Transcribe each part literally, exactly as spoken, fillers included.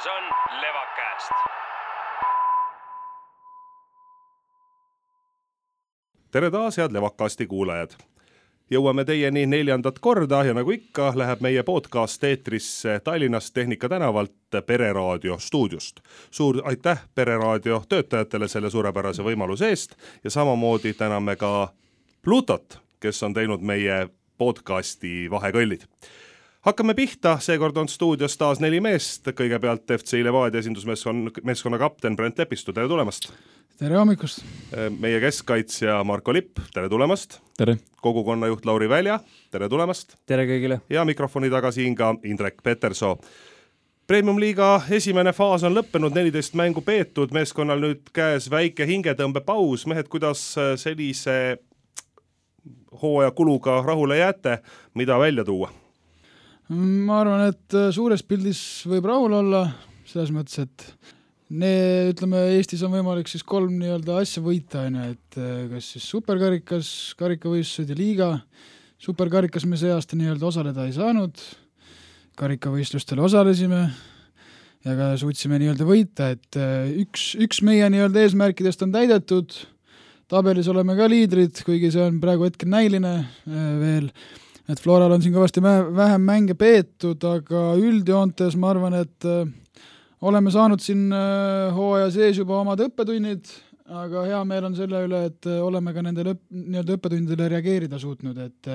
käes on Levakast. Tere taas, head Levakasti kuulajad! Jõuame teieni neljandat korda ja nagu ikka läheb meie podcast eetrisse Tallinnast Tehnika tänavalt Pereraadio stuudiost. Suur aitäh Pereraadio töötajatele selle suurepärase võimaluse eest ja samamoodi täname ka Plutot, kes on teinud meie podcasti vahekõllid. Hakkame pihta, seekord on stuudios taas neli meest, kõigepealt F C Levadia esindusmeeskonna kapten Brent Lepistu, tere tulemast! Tere hommikust! Meie keskkaitsja Marko Lipp, tere tulemast! Tere! Kogukonnajuht Lauri Välja, tere tulemast! Tere kõigile! Ja mikrofoni taga siin ka Indrek Petersoo. Premium-liiga esimene faas on lõppenud, neliteist mängu peetud, meeskonnal nüüd käes väike hingetõmbepaus. Mehed, kuidas sellise hooaja kuluga rahule jääte, mida välja tuua? Ma arvan, et suures pildis võib rahul olla, selles mõttes, et ne, ütleme, Eestis on võimalik siis kolm nii-öelda asja võita, et kas siis superkarikas, karikavõistlused ja liiga. Superkarikas me see aasta nii-öelda osaleda ei saanud, karikavõistlustel osalesime ja ka suutsime nii-öelda võita, et üks, üks meie nii-öelda eesmärkidest on täidetud, tabelis oleme ka liidrid, kuigi see on praegu hetkel näiline veel, et Floral on siin kõvasti vähem mänge peetud, aga üldjoontes ma arvan, et oleme saanud siin hooaja sees juba omad õppetunnid, aga hea meel on selle üle, et oleme ka nendele nii-öelda õppetundidele reageerida suutnud, et,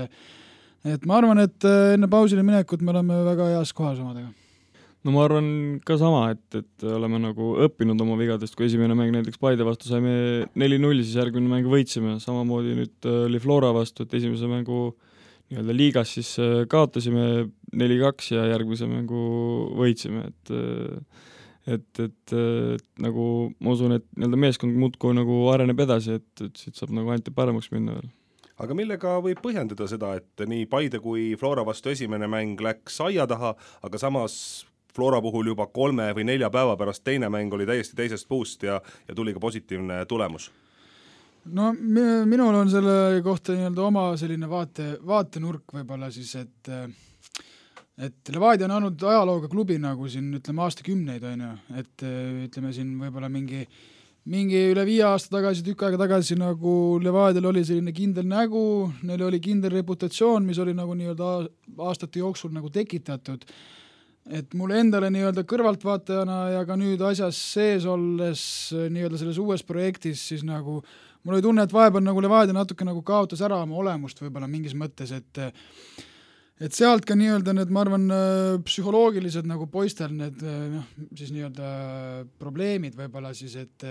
et ma arvan, et enne pausile minekut me oleme väga heas kohas omadega. No ma arvan ka sama, et, et oleme nagu õppinud oma vigadest, kui esimene mäng näiteks Paide vastu saime neli null, siis järgmine mäng võitsime, samamoodi nüüd oli Flora vastu, et esimese mängu nii-öelda liigas siis kaotasime neli kaks ja järgmise mängu võitsime, et et, et, et nagu ma usun, et nii-öelda meeskond muudkui nagu areneb edasi, et, et siit saab nagu ainult paremaks minna veel. Aga millega võib põhjendada seda, et nii Paide kui Flora vastu esimene mäng läks aia taha, aga samas Flora puhul juba kolme või nelja päeva pärast teine mäng oli täiesti teisest puust ja, ja tuli ka positiivne tulemus? No minul on selle kohta nii-öelda oma selline vaate, vaatenurk võib-olla siis, et et Levadia on olnud ajalooga klubi nagu siin, ütleme, aastakümneid, on ju, et ütleme siin võib-olla mingi, mingi üle viie aasta tagasi, tükk aega tagasi nagu Levadial oli selline kindel nägu, neil oli kindel reputatsioon, mis oli nagu nii-öelda aastate jooksul nagu tekitatud. Et mulle endale nii-öelda kõrvaltvaatajana ja ka nüüd asjas sees olles nii-öelda selles uues projektis siis nagu mul oli tunne, et vahepeal nagu Levadia natuke nagu kaotas ära oma olemust võib-olla mingis mõttes, et et sealt ka nii-öelda need, ma arvan, psühholoogilised nagu poistel need noh, siis nii-öelda probleemid võib-olla siis, et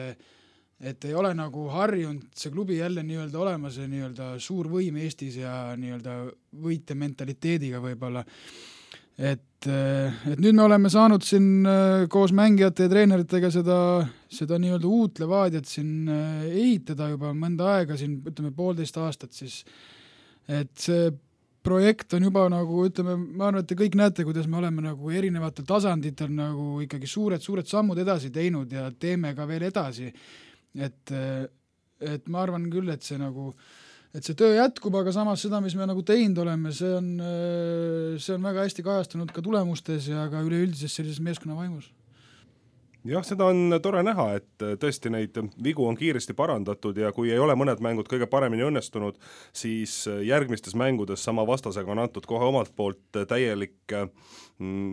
et ei ole nagu harjunud see klubi jälle nii-öelda olema see nii-öelda suur võim Eestis ja nii-öelda võite mentaliteediga võib-olla. Et, et nüüd me oleme saanud siin koos mängijate ja treeneritega seda, seda nii-öelda uut Levadiat siin ehitada juba mõnda aega, siin ütleme poolteist aastat siis, et see projekt on juba nagu, ütleme, ma arvan, et te kõik näete, kuidas me oleme nagu erinevatel tasanditel nagu ikkagi suured, suured sammud edasi teinud ja teeme ka veel edasi, et, et ma arvan küll, et see nagu et see töö jätkub, aga samas seda, mis me nagu teinud oleme, see on, see on väga hästi kajastunud ka tulemustes ja ka üleüldises sellises meeskonna vaimus. Jah, seda on tore näha, et tõesti neid vigu on kiiresti parandatud ja kui ei ole mõned mängud kõige paremini õnnestunud, siis järgmistes mängudes sama vastasega on antud kohe omalt poolt täielik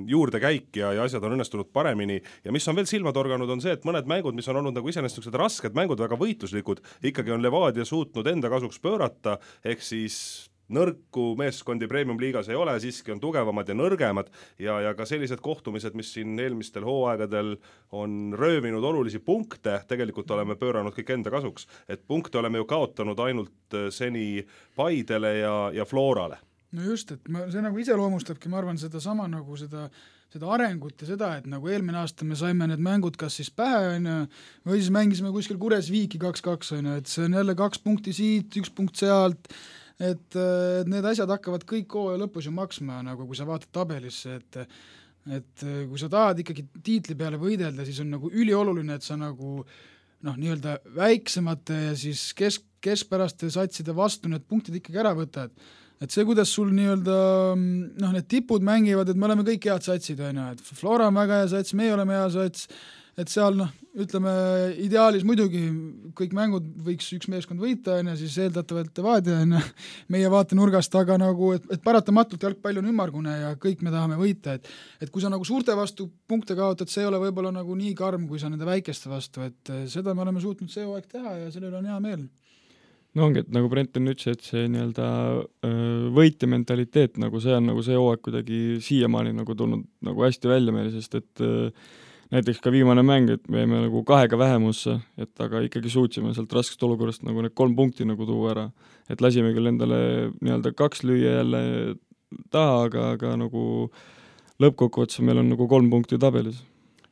juurdekäik ja, ja asjad on õnnestunud paremini ja mis on veel silmatorganud on see, et mõned mängud, mis on olnud nagu iseenesest rasked mängud, väga võitluslikud, ikkagi on Levadia suutnud enda kasuks pöörata, ehk siis nõrku meeskondi Premium-liigas ei ole, siiski on tugevamad ja nõrgemad ja, ja ka sellised kohtumised, mis siin eelmistel hooaegadel on röövinud olulisi punkte, tegelikult oleme pööranud kõik enda kasuks, et punkte oleme ju kaotanud ainult seni Paidele ja, ja Florale. No just, et ma, see nagu iseloomustabki, ma arvan, seda sama nagu seda, seda arengut ja seda, et nagu eelmine aasta me saime need mängud kas siis pähe, on ju, või siis mängisime kuskil Kures Viiki kaks kaks, on ju, et see on jälle kaks punkti siit, üks punkt sealt, et, et need asjad hakkavad kõik hooaja lõpus ju maksma, nagu kui sa vaatad tabelisse, et, et kui sa tahad ikkagi tiitli peale võidelda, siis on nagu ülioluline, et sa nagu noh, nii-öelda väiksemate ja siis kesk, keskpäraste satside vastu need punktid ikkagi ära võtad. Et see, kuidas sul nii-öelda noh, need tipud mängivad, et me oleme kõik head satsid, on ju, et Flora on väga hea sats, meie oleme hea sats, et seal noh, ütleme ideaalis muidugi kõik mängud võiks üks meeskond võita, on ju, siis eeldatavalt Levadia on meie vaatenurgast, aga nagu, et, et paratamatult jalgpall on ümmargune ja kõik me tahame võita, et et kui sa nagu suurte vastu punkte kaotad, see ei ole võib-olla nagu nii karm, kui sa nende väikeste vastu, et seda me oleme suutnud see hooaeg teha ja sellel on hea meel. No ongi, et nagu Brenton ütles, et see nii-öelda võitja mentaliteet, nagu see on nagu see hooaeg kuidagi siiamaani nagu tulnud nagu hästi välja meile, sest et näiteks ka viimane mäng, et me jäime nagu kahega vähemusse, et aga ikkagi suutsime sealt raskest olukorrast nagu need kolm punkti nagu tuua ära. Et lasime küll endale nii-öelda kaks lüüa jälle taha, aga, aga nagu lõppkokkuvõttes meil on nagu kolm punkti tabelis.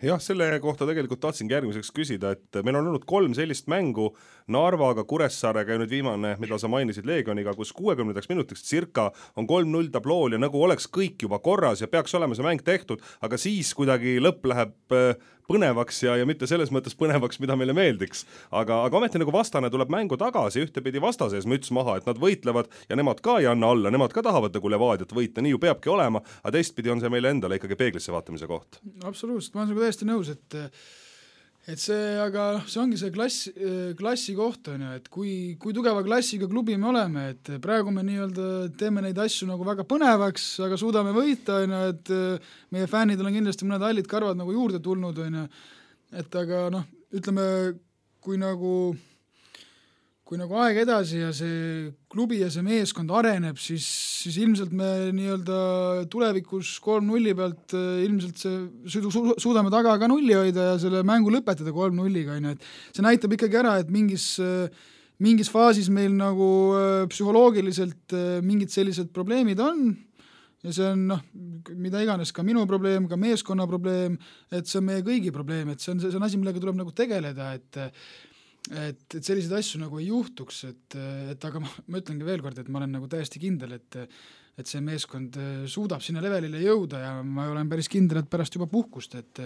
Jah, selle kohta tegelikult tahtsingi järgmiseks küsida, et meil on olnud kolm sellist mängu Narvaga, Kuressaarega ja nüüd viimane, mida sa mainisid Leegioniga, kus kuuekümnendaks minutiks circa on kolm null tablool ja nagu oleks kõik juba korras ja peaks olema see mäng tehtud, aga siis kuidagi lõpp läheb põnevaks ja, ja mitte selles mõttes põnevaks, mida meile meeldiks. Aga, aga ometi nagu vastane tuleb mängu tagasi, ühtepidi vastases müts maha, et nad võitlevad ja nemad ka ei anna alla, nemad ka tahavad nagu Levadiat võita, nii ju peabki olema, aga teistpidi on see meile endale ikkagi peeglisse vaatamise koht. Absoluutselt, ma olen täiesti nõus, et et see, aga see ongi see klass, klassi koht on ju, et kui, kui tugeva klassiga klubi me oleme, et praegu me nii-öelda teeme neid asju nagu väga põnevaks, aga suudame võita, on ju, et meie fännidel on kindlasti mõned hallid karvad nagu juurde tulnud, on ju, et aga noh, ütleme, kui nagu kui nagu aeg edasi ja see klubi ja see meeskond areneb, siis, siis ilmselt me nii-öelda tulevikus kolm nulli pealt ilmselt see su- suudame taga ka nulli hoida ja selle mängu lõpetada kolm nulliga, et see näitab ikkagi ära, et mingis, mingis faasis meil nagu psühholoogiliselt mingid sellised probleemid on ja see on noh, mida iganes ka minu probleem, ka meeskonna probleem, et see on meie kõigi probleem, et see on, see on asi, millega tuleb nagu tegeleda, et Et, et selliseid asju nagu ei juhtuks, et, et aga ma, ma ütlengi veel kord, et ma olen nagu täiesti kindel, et, et see meeskond suudab sinna levelile jõuda ja ma olen päris kindel, et pärast juba puhkust, et,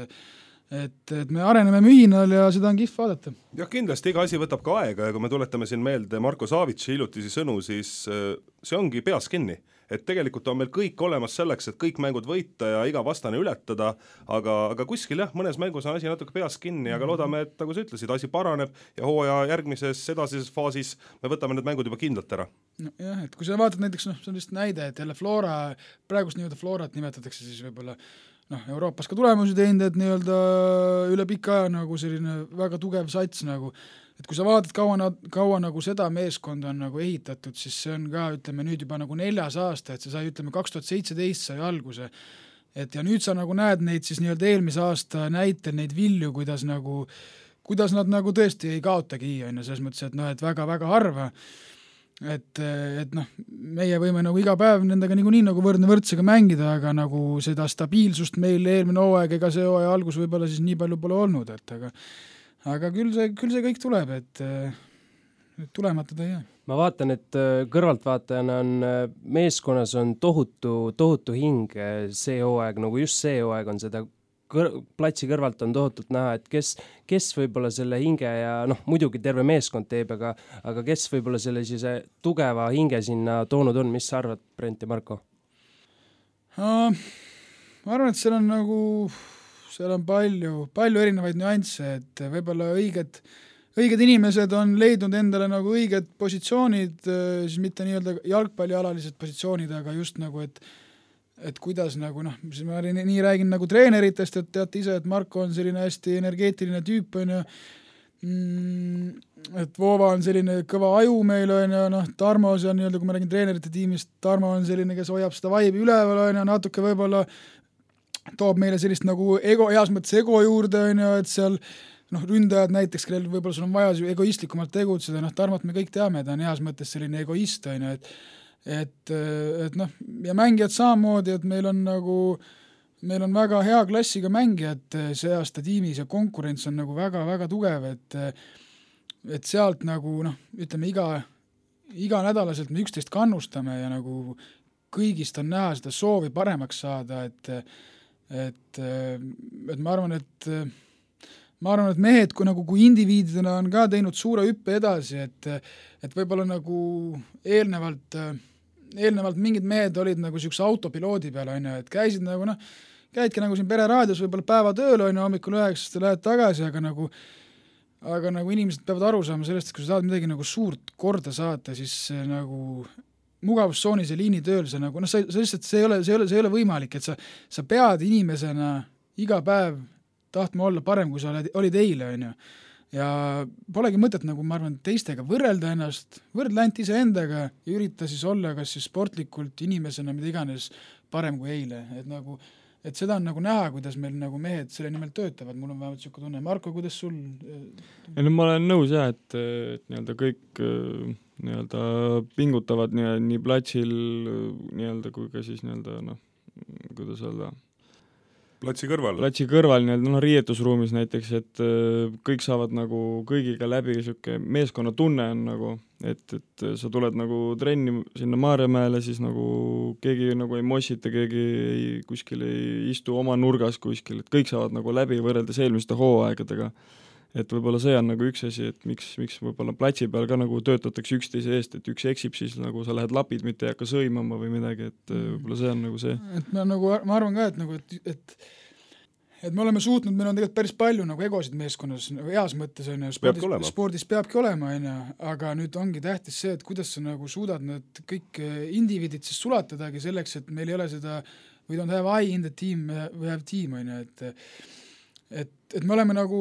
et, et me areneme mühinal ja seda on kihv vaadata. Jah, kindlasti iga asi võtab ka aega ja kui me tuletame siin meelde Marko Savitsi hiljutisi sõnu, siis see ongi peas kinni. Et tegelikult on meil kõik olemas selleks, et kõik mängud võita ja iga vastane ületada, aga, aga kuskil jah, mõnes mängus on asi natuke peas kinni, aga loodame, et nagu sa ütlesid, asi paraneb ja hooaja järgmises edasises faasis me võtame need mängud juba kindlalt ära. No jah, et kui sa vaatad näiteks, noh, see on lihtsalt näide, et jälle Flora, praegust nii-öelda Florat nimetatakse siis võib-olla noh, Euroopas ka tulemusi teinud, et nii-öelda üle pika aja nagu selline väga tugev sats nagu, et kui sa vaatad, kaua, kaua nagu seda meeskonda on nagu ehitatud, siis see on ka, ütleme nüüd juba nagu neljas aasta, et see sai, ütleme, kaks tuhat seitseteist sai alguse. Et ja nüüd sa nagu näed neid siis nii-öelda eelmise aasta näitel neid vilju, kuidas nagu, kuidas nad nagu tõesti ei kaotagi, on ju, selles mõttes, et noh, et väga-väga harva. Et, et noh, meie võime nagu iga päev nendega nagu nii nagu võrdne võrdsega mängida, aga nagu seda stabiilsust meil eelmine hooaeg ega see hooaja algus võib-olla siis nii palju pole olnud, et aga aga küll see, küll see kõik tuleb, et tulematud ei jää. Ma vaatan, et kõrvaltvaatajana on meeskonnas on tohutu, tohutu hing see hooaeg, nagu just see hooaeg on seda kõr- platsi kõrvalt on tohutult näha, et kes, kes võib-olla selle hinge ja noh, muidugi terve meeskond teeb, aga, aga kes võib-olla selle siis tugeva hinge sinna toonud on, mis sa arvad, Brent ja Marko? Ma arvan, et seal on nagu seal on palju, palju erinevaid nüansse, et võib-olla õiged, õiged inimesed on leidnud endale nagu õiged positsioonid, siis mitte nii-öelda jalgpallialalised positsioonid, aga just nagu, et et kuidas nagu noh, siis ma nii, nii räägin nagu treeneritest, et teate ise, et Marko on selline hästi energeetiline tüüp, on ju, et Voova on selline kõva aju meil, on ju, noh, Tarmo, see on nii-öelda, kui ma räägin treenerite tiimist, Tarmo on selline, kes hoiab seda vaibi üleval, on ju, natuke võib-olla toob meile sellist nagu ego, heas mõttes ego juurde, on ju, et seal noh, ründajad näiteks, kellel võib-olla sul on vaja egoistlikumalt tegutseda, noh, Tarmot me kõik teame, ta on heas mõttes selline egoist, on ju, et et, et noh, ja mängijad samamoodi, et meil on nagu meil on väga hea klassiga mängijad see aasta tiimis ja konkurents on nagu väga-väga tugev, et et sealt nagu noh, ütleme iga iga nädalaselt me üksteist kannustame ja nagu kõigist on näha seda soovi paremaks saada, et et, et ma arvan, et ma arvan, et mehed kui, nagu, kui indiviididena on ka teinud suure hüppe edasi, et et võib-olla nagu eelnevalt, eelnevalt mingid mehed olid nagu niisuguse autopiloodi peal, on ju, et käisid nagu noh, käidki nagu siin pereraadios võib-olla päeva tööl, on ju, hommikul üheksast ja lähed tagasi, aga nagu aga nagu inimesed peavad aru saama sellest, et kui sa tahad midagi nagu suurt korda saata, siis nagu mugavustsoonis ja liinitööl sa nagu, noh, sa, sa lihtsalt, see ei ole, see ei ole, see ei ole võimalik, et sa, sa pead inimesena iga päev tahtma olla parem, kui sa oled, olid eile, on ju. Ja polegi mõtet nagu, ma arvan, teistega võrrelda ennast, võrdle ainult iseendaga ja ürita siis olla kas siis sportlikult inimesena, mida iganes parem kui eile, et nagu et seda on nagu näha, kuidas meil nagu mehed selle nimel töötavad, mul on vähemalt niisugune tunne. Marko, kuidas sul? Ja no ma olen nõus jah, et, et nii-öelda kõik nii-öelda pingutavad nii, nii platsil nii-öelda kui ka siis nii-öelda noh, kuidas öelda platsi kõrval. Platsi kõrval nii-öelda noh, riietusruumis näiteks, et kõik saavad nagu kõigiga läbi niisugune meeskonna tunne on nagu, et, et sa tuled nagu trenni sinna Maarjamäele, siis nagu keegi nagu ei mossita, keegi ei, kuskil ei istu oma nurgas kuskil, et kõik saavad nagu läbi võrreldes eelmiste hooaegadega. Et võib-olla see on nagu üks asi, et miks, miks võib-olla platsi peal ka nagu töötatakse üksteise eest, et üks eksib, siis nagu sa lähed lapid, mitte ei hakka sõimama või midagi, et võib-olla see on nagu see. Et ma, nagu, ma arvan ka, et, nagu, et, et et me oleme suutnud, meil on tegelikult päris palju nagu egosid meeskonnas, nagu heas mõttes on ju, spordis, spordis peabki olema, on ju, aga nüüd ongi tähtis see, et kuidas sa nagu suudad need kõik indiviidid siis sulatadagi selleks, et meil ei ole seda, we don't have I in the team, we have team, on ju, et et, et me oleme nagu,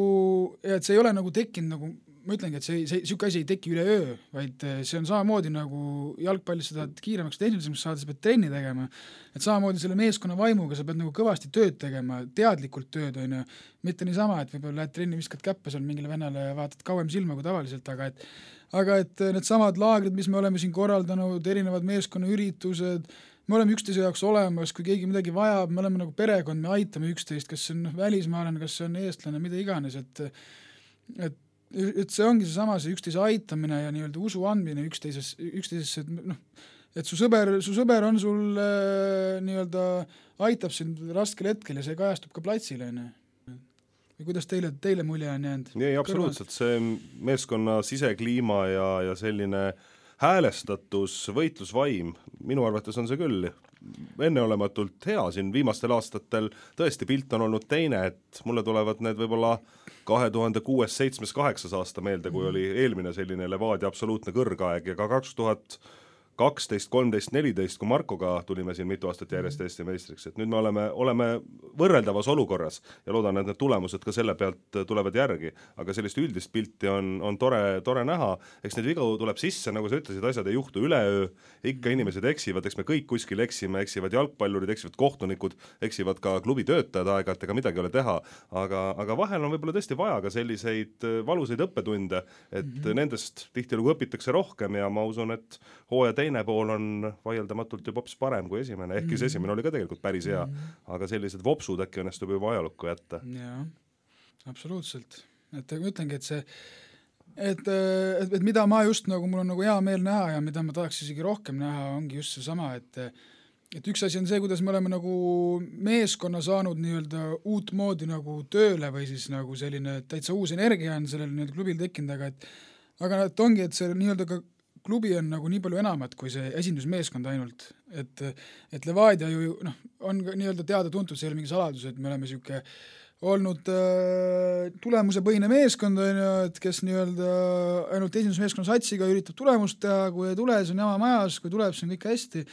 et see ei ole nagu tekkinud nagu, ma ütlengi, et see, see niisugune asi ei teki üle öö, vaid see on samamoodi nagu jalgpallis sa tahad kiiremaks tehnilisemaks saada, sa pead trenni tegema, et samamoodi selle meeskonna vaimuga sa pead nagu kõvasti tööd tegema, teadlikult tööd, on ju, mitte niisama, et võib-olla lähed trenni, viskad käppe seal mingile vennale ja vaatad kauem silma kui tavaliselt, aga et aga et need samad laagrid, mis me oleme siin korraldanud, erinevad meeskonnaüritused, me oleme üksteise jaoks olemas, kui keegi midagi vajab, me oleme nagu perekond, me aitame üksteist, kas see on välismaalane, kas see on eestlane, mida iganes, et et, et see ongi see sama, see üksteise aitamine ja nii-öelda usu andmine üksteises, üksteisesse, et noh, et su sõber, su sõber on sul äh, nii-öelda aitab sind raskel hetkel ja see kajastub ka platsil, on ju. Ja kuidas teile, teile mulje on jäänud? Ei, absoluutselt, see meeskonna sisekliima ja, ja selline häälestatus, võitlusvaim, minu arvates on see küll enneolematult hea siin viimastel aastatel, tõesti pilt on olnud teine, et mulle tulevad need võib-olla kahe tuhande kuues, seitsmes, kaheksas aasta meelde, kui oli eelmine selline Levadia absoluutne kõrgaeg ja ka kaks tuhat kaksteist, kolmteist, neliteist, kui Markoga tulime siin mitu aastat järjest Eesti meistriks, et nüüd me oleme, oleme võrreldavas olukorras ja loodan, et need tulemused ka selle pealt tulevad järgi, aga sellist üldist pilti on, on tore, tore näha, eks neid vigu tuleb sisse, nagu sa ütlesid, asjad ei juhtu üleöö, ikka inimesed eksivad, eks me kõik kuskil eksime, eksivad jalgpallurid, eksivad kohtunikud, eksivad ka klubi töötajad aeg-ajalt, ega midagi ei ole teha, aga, aga vahel on võib-olla tõesti vaja ka selliseid valuseid õppetunde, et mm-hmm. nendest tihtilugu õpitakse rohkem ja ma usun, et hooaja teine pool on vaieldamatult juba hoopis parem kui esimene, ehk siis mm-hmm. esimene oli ka tegelikult päris hea, mm-hmm. aga sellised vopsud äkki õnnestub juba ajalukku jätta. Jaa, absoluutselt. Et ma ütlengi, et see, et, et, et mida ma just nagu, mul on nagu hea meel näha ja mida ma tahaks isegi rohkem näha, ongi just see sama, et et üks asi on see, kuidas me oleme nagu meeskonna saanud nii-öelda uut moodi nagu tööle või siis nagu selline täitsa uus energia on sellel nii-öelda klubil tekkinud, aga et aga et ongi, et see nii-öelda ka klubi on nagu nii palju enamat kui see esindusmeeskond ainult, et, et Levadia ju noh, on nii-öelda teada-tuntud, see ei ole mingi saladus, et me oleme niisugune olnud äh, tulemusepõhine meeskond, on ju, et kes nii-öelda ainult esindusmeeskonna satsiga üritab tulemust teha, kui ei tule, see on jama majas, kui tuleb, see on kõik hästi,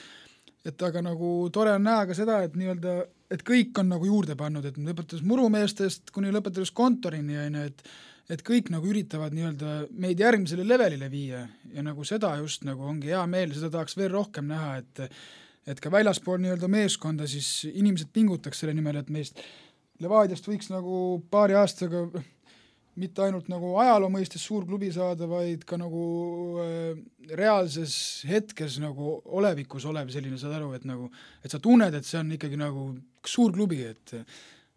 et aga nagu tore on näha ka seda, et nii-öelda, et kõik on nagu juurde pannud, et lõpetades murumeestest kuni lõpetades kontorini, on ju, et et kõik nagu üritavad nii-öelda meid järgmisele levelile viia ja nagu seda just nagu ongi hea meel, seda tahaks veel rohkem näha, et et ka väljaspool nii-öelda meeskonda siis inimesed pingutaks selle nimel, et meist Levadiast võiks nagu paari aastaga mitte ainult nagu ajaloo mõistes suur klubi saada, vaid ka nagu äh, reaalses hetkes nagu olevikus olev selline, saad aru, et nagu, et sa tunned, et see on ikkagi nagu suur klubi, et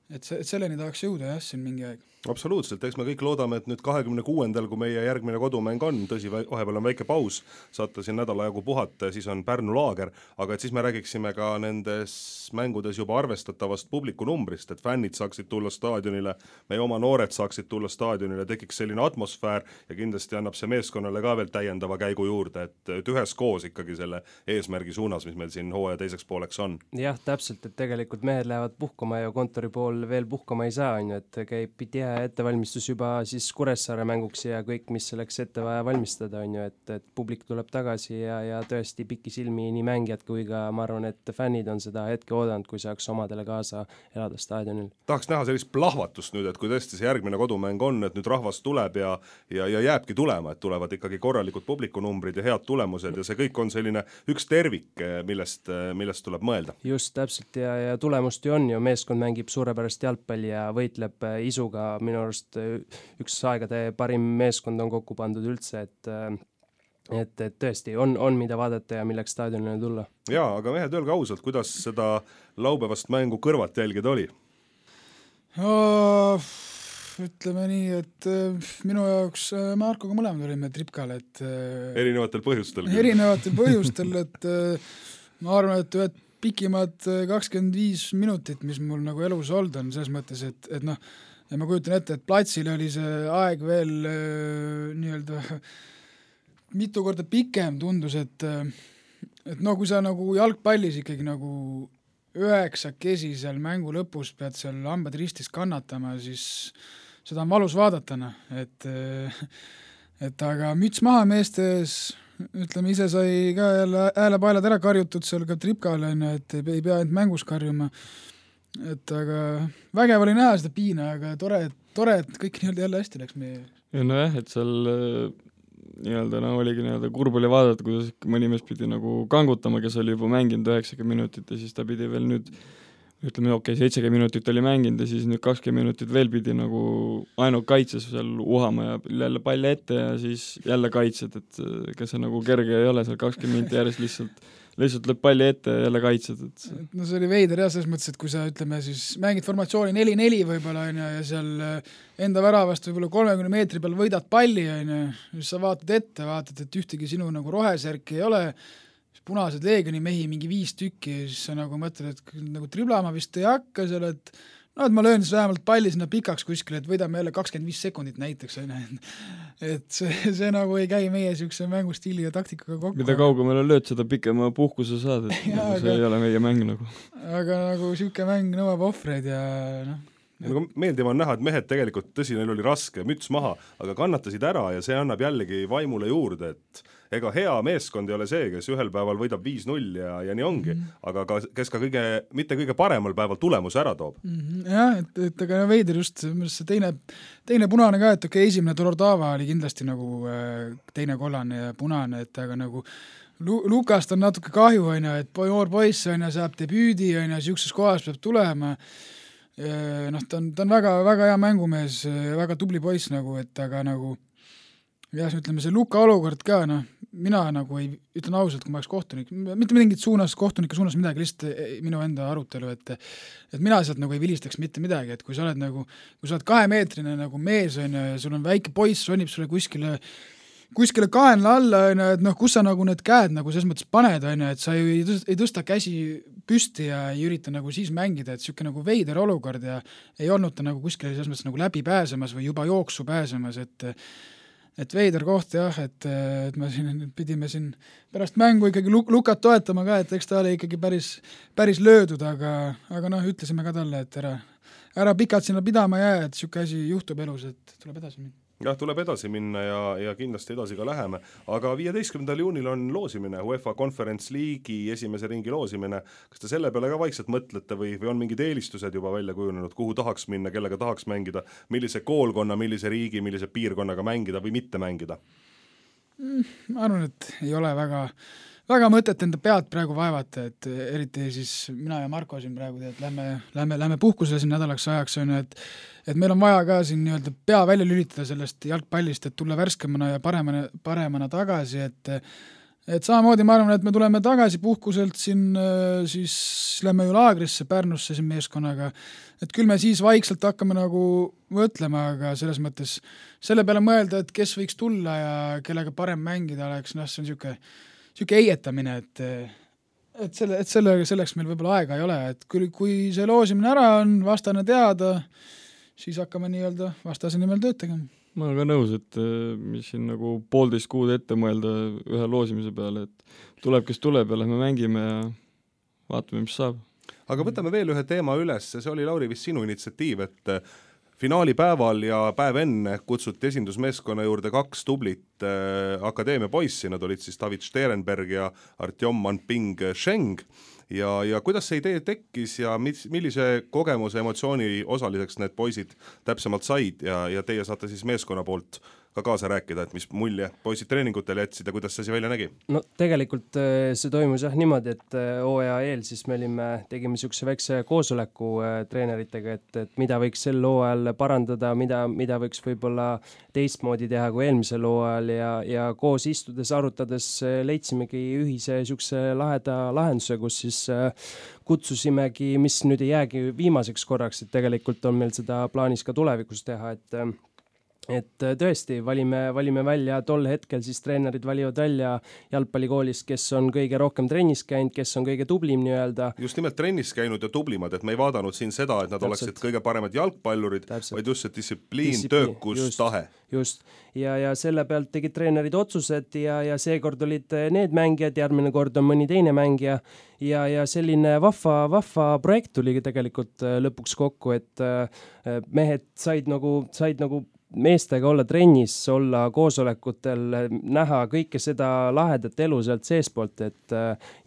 et, see, et selleni tahaks jõuda jah, siin mingi aeg. Absoluutselt, eks me kõik loodame, et nüüd kahekümne kuuendal, kui meie järgmine kodumäng on, tõsi, vahepeal on väike paus, saate siin nädala jagu puhata ja siis on Pärnu laager, aga et siis me räägiksime ka nendes mängudes juba arvestatavast publiku numbrist, et fännid saaksid tulla staadionile, meie oma noored saaksid tulla staadionile, tekiks selline atmosfäär ja kindlasti annab see meeskonnale ka veel täiendava käigu juurde, et, et ühes koos ikkagi selle eesmärgi suunas, mis meil siin hooaja teiseks pooleks on. Jah, täpselt, et tegelikult mehed lähevad puhkama ja kontori pool veel puhkama ei saa, on ju, et käib tihe ettevalmistus juba siis Kuressaare mänguks ja kõik, mis selleks ette vaja valmistada, on ju, et, et publik tuleb tagasi ja, ja tõesti pikisilmi nii mängijad kui ka ma arvan, et fännid on seda hetke oodanud, kui saaks omadele kaasa elada staadionil. Tahaks näha sellist plahvatust nüüd, et kui tõesti see järgmine kodumäng on, et nüüd rahvas tuleb ja, ja, ja jääbki tulema, et tulevad ikkagi korralikud publikunumbrid ja head tulemused ja see kõik on selline üks tervik, millest, millest tuleb mõelda. Just täpselt ja, ja tulemust ju on ju, meeskond mängib suurepärast jalgpalli ja võitleb isuga, minu arust üks aegade parim meeskond on kokku pandud üldse, et et, et tõesti on, on mida vaadata ja milleks staadionile tulla. Jaa, aga mehed, öelge ausalt, kuidas seda laupäevast mängu kõrvalt jälgida oli? Oh, ütleme nii, et minu jaoks Markoga mõlemad olime Tripkal, et erinevatel põhjustel. Erinevatel põhjustel, et ma arvan, et ühed pikimad kakskümmend viis minutit, mis mul nagu elus olnud on, selles mõttes, et, et noh, ja ma kujutan ette, et platsil oli see aeg veel äh, nii-öelda mitu korda pikem tundus, et et no kui sa nagu jalgpallis ikkagi nagu üheksakesi seal mängu lõpus pead seal hambad ristis kannatama, siis seda on valus vaadata, et et aga müts maha meestes, ütleme, ise sai ka jälle häälepaelad ära karjutud seal ka Tripkal, et ei pea ainult mängus karjuma. Et aga vägev oli näha seda piina, aga tore, tore et kõik nii-öelda jälle hästi läks meie. Ja no jah, et seal nii-öelda no oligi nii-öelda kurb oli vaadata, kuidas mõni mees pidi nagu kangutama, kes oli juba mänginud üheksakümmend minutit ja siis ta pidi veel nüüd, ütleme okei, okay, seitsekümmend minutit oli mänginud ja siis nüüd kakskümmend minutit veel pidi nagu ainult kaitses seal uhama ja jälle palli ette ja siis jälle kaitsed, et kes see nagu kerge ei ole seal kakskümmend minutit järjest lihtsalt lihtsalt lööb palli ette ja jälle kaitsed. Et... no see oli veider jah, selles mõttes, et kui sa ütleme siis mängid formatsiooni neli neli võib-olla on ja seal enda väravast võib-olla kolmekümne meetri peal võidad palli on ja siis sa vaatad ette, vaatad, et ühtegi sinu nagu rohesärki ei ole, punased leegioni mehi mingi viis tükki ja siis sa nagu mõtled, et nagu triblama vist ei hakka seal, et no, et ma löön siis vähemalt palli sinna pikaks kuskile, et võidame jälle kakskümmend viis sekundit näiteks, et see, see nagu ei käi meie niisuguse mängustiili ja taktikaga kokku. Mida kaugemale lööd, seda pikema puhkuse saad, et ja, nagu see aga, ei ole meie mäng nagu. Aga nagu niisugune mäng nõuab ohvreid ja noh. Nagu meeldiv on näha, et mehed tegelikult, tõsi, neil oli raske, müts maha, aga kannatasid ära ja see annab jällegi vaimule juurde, et ega hea meeskond ei ole see, kes ühel päeval võidab viis null ja, ja nii ongi, mm -hmm. aga ka, kes ka kõige, mitte kõige paremal päeval tulemuse ära toob. Mm -hmm. Jah, et, et aga veider just see teine, teine punane ka, et okei, okay, esimene Dolordava oli kindlasti nagu teine kollane ja punane, et aga nagu Lu- Lukast on natuke kahju, on ju, et noor poiss on ju, saab debüüdi, on ju, siukses kohas peab tulema. Noh, ta on, ta on väga, väga hea mängumees, väga tubli poiss nagu, et aga nagu jah, ütleme see Luka olukord ka, noh, mina nagu ei, ütlen ausalt, kui ma oleks kohtunik, mitte mingit suunas, kohtunike suunas midagi, lihtsalt minu enda arutelu, et et mina sealt nagu ei vilistaks mitte midagi, et kui sa oled nagu, kui sa oled kahemeetrine nagu mees, on ja sul on väike poiss, ronib sulle kuskile kuskile kaenla alla, on ju, et noh, kus sa nagu need käed nagu selles mõttes paned, on ju, et sa ju ei tõsta, ei tõsta käsi püsti ja ei ürita nagu siis mängida, et niisugune nagu veider olukord ja ei olnud ta nagu kuskile selles mõttes nagu läbi pääsemas või juba jooksu pääsemas, et et veider koht jah, et, et me siin pidime siin pärast mängu ikkagi luk- Lukat toetama ka, et eks ta oli ikkagi päris, päris löödud, aga, aga noh, ütlesime ka talle, et ära, ära pikalt sinna pidama jää, et niisugune asi juhtub elus, et tuleb edasi minna. jah, tuleb edasi minna ja, ja kindlasti edasi ka läheme, aga viieteistkümnendal juunil on loosimine, UEFA Conference League'i esimese ringi loosimine, kas te selle peale ka vaikselt mõtlete või, või on mingid eelistused juba välja kujunenud, kuhu tahaks minna, kellega tahaks mängida, millise koolkonna, millise riigi, millise piirkonnaga mängida või mitte mängida? Ma arvan, et ei ole väga väga mõtet enda pead praegu vaevata, et eriti siis mina ja Marko siin praegu tead, lähme, lähme, lähme puhkusele siin nädalaks ajaks, on ju, et et meil on vaja ka siin nii-öelda pea välja lülitada sellest jalgpallist, et tulla värskemana ja paremana, paremana tagasi, et et samamoodi ma arvan, et me tuleme tagasi puhkuselt siin, siis lähme ju laagrisse Pärnusse siin meeskonnaga, et küll me siis vaikselt hakkame nagu mõtlema, aga selles mõttes selle peale mõelda, et kes võiks tulla ja kellega parem mängida oleks, noh, see on niisugune, niisugune eietamine, et et, selle, et selle, selleks meil võib-olla aega ei ole, et kui, kui see loosimine ära on, vastane teada, siis hakkame nii-öelda vastase nimel tööd tegema. Ma olen ka nõus, et mis siin nagu poolteist kuud ette mõelda ühe loosimise peale, et tuleb, kes tuleb ja lähme mängime ja vaatame, mis saab. Aga võtame veel ühe teema üles, see oli Lauri vist sinu initsiatiiv, et finaalipäeval ja päev enne kutsuti esindusmeeskonna juurde kaks tublit äh, akadeemia poissi, nad olid siis David Sterenberg ja Artjom Manping Sheng ja, ja kuidas see idee tekkis ja mis, millise kogemuse emotsiooni osaliseks need poisid täpsemalt said ja, ja teie saate siis meeskonna poolt ka kaasa rääkida, et mis mulje poisid treeningutel jätsid ja kuidas see asi välja nägi? No tegelikult see toimus jah niimoodi, et hooaja eel siis me olime, tegime niisuguse väikse koosoleku treeneritega, et, et mida võiks sel hooajal parandada, mida, mida võiks võib-olla teistmoodi teha kui eelmisel hooajal ja, ja koos istudes, arutades leidsimegi ühise niisuguse laheda lahenduse, kus siis kutsusimegi, mis nüüd ei jäägi viimaseks korraks, et tegelikult on meil seda plaanis ka tulevikus teha, et et tõesti, valime, valime välja tol hetkel, siis treenerid valivad välja jalgpallikoolist, kes on kõige rohkem trennis käinud, kes on kõige tublim nii-öelda. Just nimelt trennis käinud ja tublimad, et me ei vaadanud siin seda, et nad Täpselt. oleksid kõige paremad jalgpallurid, Täpselt. vaid just see distsipliin, distsipliin, töökus, just, tahe. Just, ja, ja selle pealt tegid treenerid otsused ja, ja seekord olid need mängijad, järgmine kord on mõni teine mängija ja, ja selline vahva, vahva projekt tuli tegelikult lõpuks kokku, et mehed said nagu, said nagu meestega olla trennis, olla koosolekutel, näha kõike seda lahedat elu sealt seespoolt, et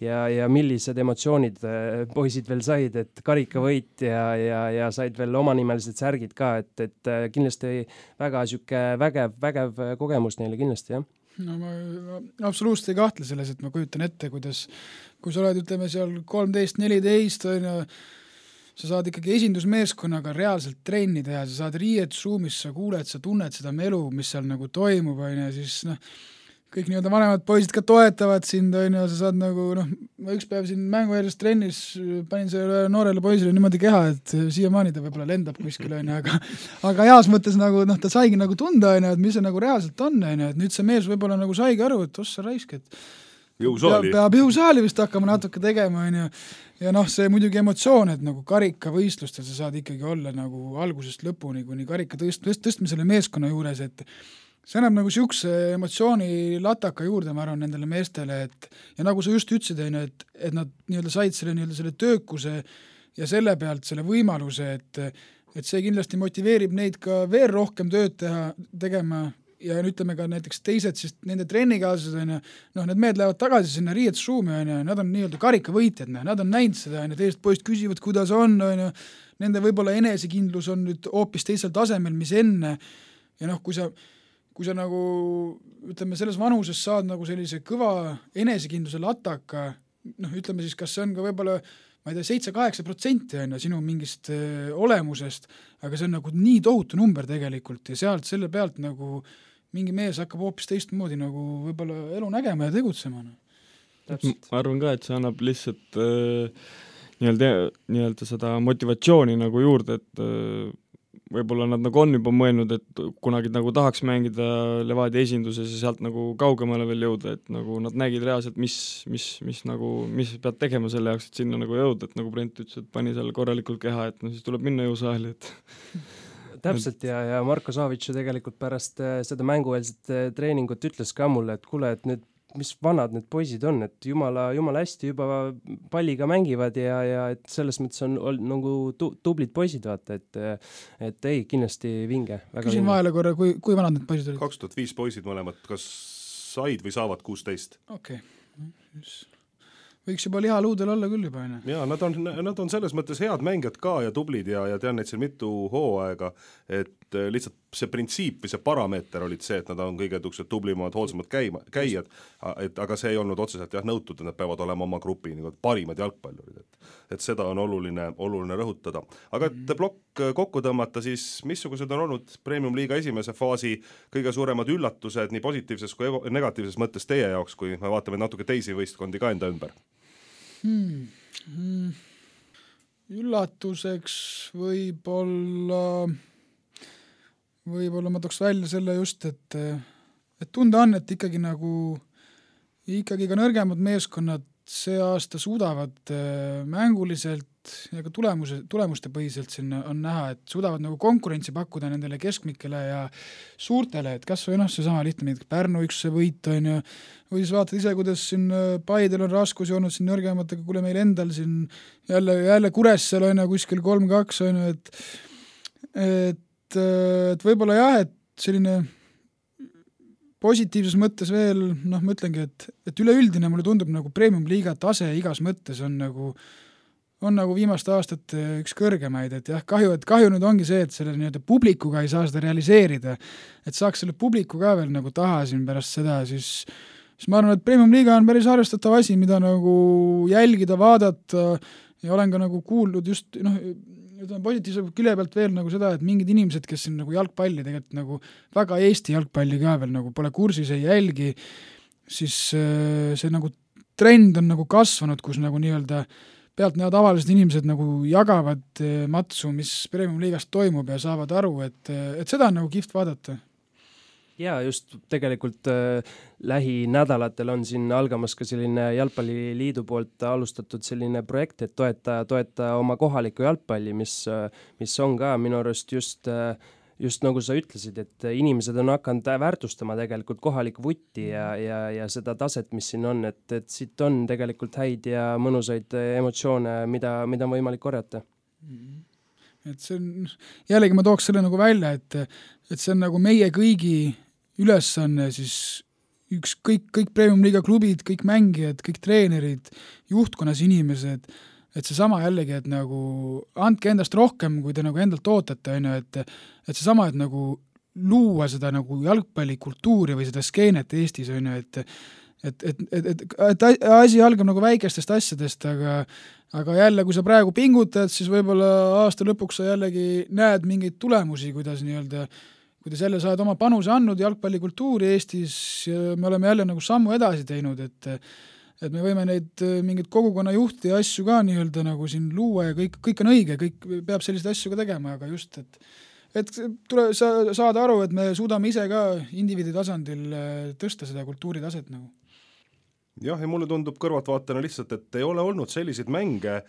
ja, ja millised emotsioonid poisid veel said, et karikavõit ja, ja, ja said veel omanimelised särgid ka, et, et kindlasti väga siuke vägev, vägev kogemus neile kindlasti, jah. No ma, ma absoluutselt ei kahtle selles, et ma kujutan ette, kuidas, kui sa oled, ütleme seal kolmteist neliteist, on ju, sa saad ikkagi esindusmeeskonnaga reaalselt trenni teha, sa saad riietusruumis, sa kuuled, sa tunned seda melu, mis seal nagu toimub, on ju, siis noh, kõik nii-öelda vanemad poisid ka toetavad sind, on ju, sa saad nagu, noh, ma üks päev siin mänguväljast trennis panin selle noorele poisile niimoodi keha, et siiamaani ta võib-olla lendab kuskil, on ju, aga aga heas mõttes nagu, noh, ta saigi nagu tunda, on ju, et mis see nagu reaalselt on, on ju, et nüüd see mees võib-olla nagu saigi aru, et ossa raisk, et jõusaali. Peab, peab jõusaali vist hakkama natuke tegema, on ju. Ja noh, see muidugi emotsioon, et nagu karikavõistlustel sa saad ikkagi olla nagu algusest lõpuni, kuni karika tõst, tõst, tõstmisele meeskonna juures, et see annab nagu siukse emotsiooni lataka juurde, ma arvan, nendele meestele, et ja nagu sa just ütlesid, on ju, et, et nad nii-öelda said selle, nii-öelda selle töökuse ja selle pealt selle võimaluse, et, et see kindlasti motiveerib neid ka veel rohkem tööd teha, tegema ja ütleme ka näiteks teised, siis nende trennikaaslased on ju, noh, need mehed lähevad tagasi sinna riietusruumi, on ju, nad on nii-öelda karikavõitjad, nad on näinud seda, on ju, teised poist küsivad, kuidas on, on ju, nende võib-olla enesekindlus on nüüd hoopis teisel tasemel, mis enne, ja noh, kui sa, kui sa nagu, ütleme, selles vanuses saad nagu sellise kõva enesekindluse lataka, noh, ütleme siis, kas see on ka võib-olla ma ei tea, seitse-kaheksa protsenti on ju sinu mingist öö, olemusest, aga see on nagu nii tohutu number tegelikult ja sealt selle pealt nagu mingi mees hakkab hoopis teistmoodi nagu võib-olla elu nägema ja tegutsema. Ma arvan ka, et see annab lihtsalt äh, nii-öelda, nii-öelda seda motivatsiooni nagu juurde, et äh, võib-olla nad nagu on juba mõelnud, et kunagi nagu tahaks mängida Levadia esinduses ja sealt nagu kaugemale veel jõuda, et nagu nad nägid reaalselt, mis, mis, mis nagu, mis pead tegema selle jaoks, et sinna nagu jõuda, et nagu Brent ütles, et pani seal korralikult keha, et no siis tuleb minna jõusaali, et täpselt ja, ja Marko Savitš ju tegelikult pärast seda mängueelset treeningut ütles ka mulle, et kuule, et nüüd mis vanad need poisid on, et jumala, jumala hästi juba palliga mängivad ja, ja et selles mõttes on, on nagu tu, tublid poisid, vaata, et et ei, kindlasti vinge. Küsin vahele korra, kui, kui vanad need poisid olid? kaks tuhat viis poisid mõlemad, kas said või saavad kuusteist? Okei, okay. Võiks juba lihaluudel olla küll juba, aine. Jaa, nad on, nad on selles mõttes head mängijad ka ja tublid ja, ja tean neid siin mitu hooaega, et lihtsalt see printsiip või see parameeter olid see, et nad on kõige tuksed tublimad, hoolsamad käima, käijad, et aga see ei olnud otseselt jah nõutud, et nad peavad olema oma grupi nagu parimad jalgpallurid, et, et seda on oluline, oluline rõhutada. Aga et plokk kokku tõmmata, siis missugused on olnud Premium-liiga esimese faasi kõige suuremad üllatused nii positiivses kui negatiivses mõttes teie jaoks, kui me vaatame natuke teisi võistkondi ka enda ümber? Hmm. Hmm. Üllatuseks võib-olla võib-olla ma tooks välja selle just, et, et tunda on, et ikkagi nagu ikkagi ka nõrgemad meeskonnad see aasta suudavad mänguliselt ja ka tulemuse, tulemuste põhiselt sinna on näha, et suudavad nagu konkurentsi pakkuda nendele keskmikele ja suurtele, et kas või noh, see sama lihtne, Pärnu üks võit on ju, või siis vaatad ise, kuidas siin Paidel on raskusi olnud siin nõrgematega, kuule meil endal siin jälle, jälle Kuressel on ju kuskil kolm kaks on ju, et et et võib-olla jah, et selline positiivses mõttes veel, noh, ma ütlengi, et, et üleüldine mulle tundub nagu Premium-liiga tase igas mõttes on nagu, on nagu viimaste aastate üks kõrgemaid, et jah, kahju, et kahju nüüd ongi see, et selle nii-öelda publikuga ei saa seda realiseerida, et saaks selle publiku ka veel nagu taha siin pärast seda, siis, siis ma arvan, et Premium-liiga on päris arvestatav asi, mida nagu jälgida, vaadata ja olen ka nagu kuulnud just, noh, ütleme positiivse külje pealt veel nagu seda, et mingid inimesed, kes siin nagu jalgpalli tegelikult nagu väga Eesti jalgpalli ka veel nagu pole kursis, ei jälgi, siis see nagu trend on nagu kasvanud, kus nagu nii-öelda pealt näevad tavalised inimesed nagu jagavad matsu, mis Premium-liigas toimub ja saavad aru, et, et seda on nagu kihvt vaadata. Ja just tegelikult äh, lähinädalatel on siin algamas ka selline jalgpalliliidu poolt alustatud selline projekt, et toeta, toeta oma kohalikku jalgpalli, mis, mis on ka minu arust just, just nagu sa ütlesid, et inimesed on hakanud väärtustama tegelikult kohalikku vutti ja, ja, ja seda taset, mis siin on, et, et siit on tegelikult häid ja mõnusaid emotsioone, mida, mida on võimalik korjata. Et see on, jällegi ma tooks selle nagu välja, et, et see on nagu meie kõigi ülesanne siis üks, kõik, kõik Premium-liiga klubid, kõik mängijad, kõik treenerid, juhtkonnas inimesed, et see sama jällegi, et nagu andke endast rohkem, kui te nagu endalt ootate, on ju, et, et see sama, et nagu luua seda nagu jalgpallikultuuri või seda skeenet Eestis, on ju, et et, et, et, et, et asi algab nagu väikestest asjadest, aga aga jälle, kui sa praegu pingutad, siis võib-olla aasta lõpuks sa jällegi näed mingeid tulemusi, kuidas nii-öelda kuidas jälle sa oled oma panuse andnud jalgpallikultuuri Eestis ja me oleme jälle nagu sammu edasi teinud, et et me võime neid mingeid kogukonna juhti ja asju ka nii-öelda nagu siin luua ja kõik, kõik on õige, kõik peab selliseid asju ka tegema, aga just, et et tule sa, saada aru, et me suudame ise ka indiviidi tasandil tõsta seda kultuuritaset nagu. Jah, ja mulle tundub kõrvaltvaatena lihtsalt, et ei ole olnud selliseid mänge,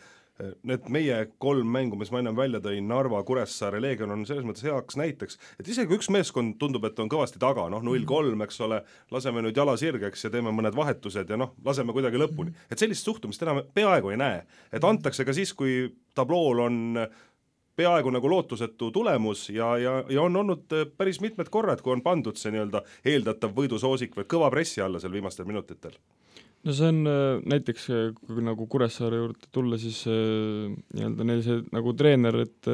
need meie kolm mängu, mis ma ennem välja tõin, Narva, Kuressaare, Leegion on selles mõttes heaks näiteks, et isegi üks meeskond tundub, et on kõvasti taga, noh null kolm, eks ole, laseme nüüd jala sirgeks ja teeme mõned vahetused ja noh, laseme kuidagi lõpuni. Et sellist suhtumist enam peaaegu ei näe, et antakse ka siis, kui tablool on peaaegu nagu lootusetu tulemus ja, ja, ja on olnud päris mitmed korrad, kui on pandud see nii-öelda eeldatav võidusoosik või kõva pressi alla seal viimastel minutitel. No see on näiteks, kui nagu Kuressaare juurde tulla, siis nii-öelda neil see nagu treener, et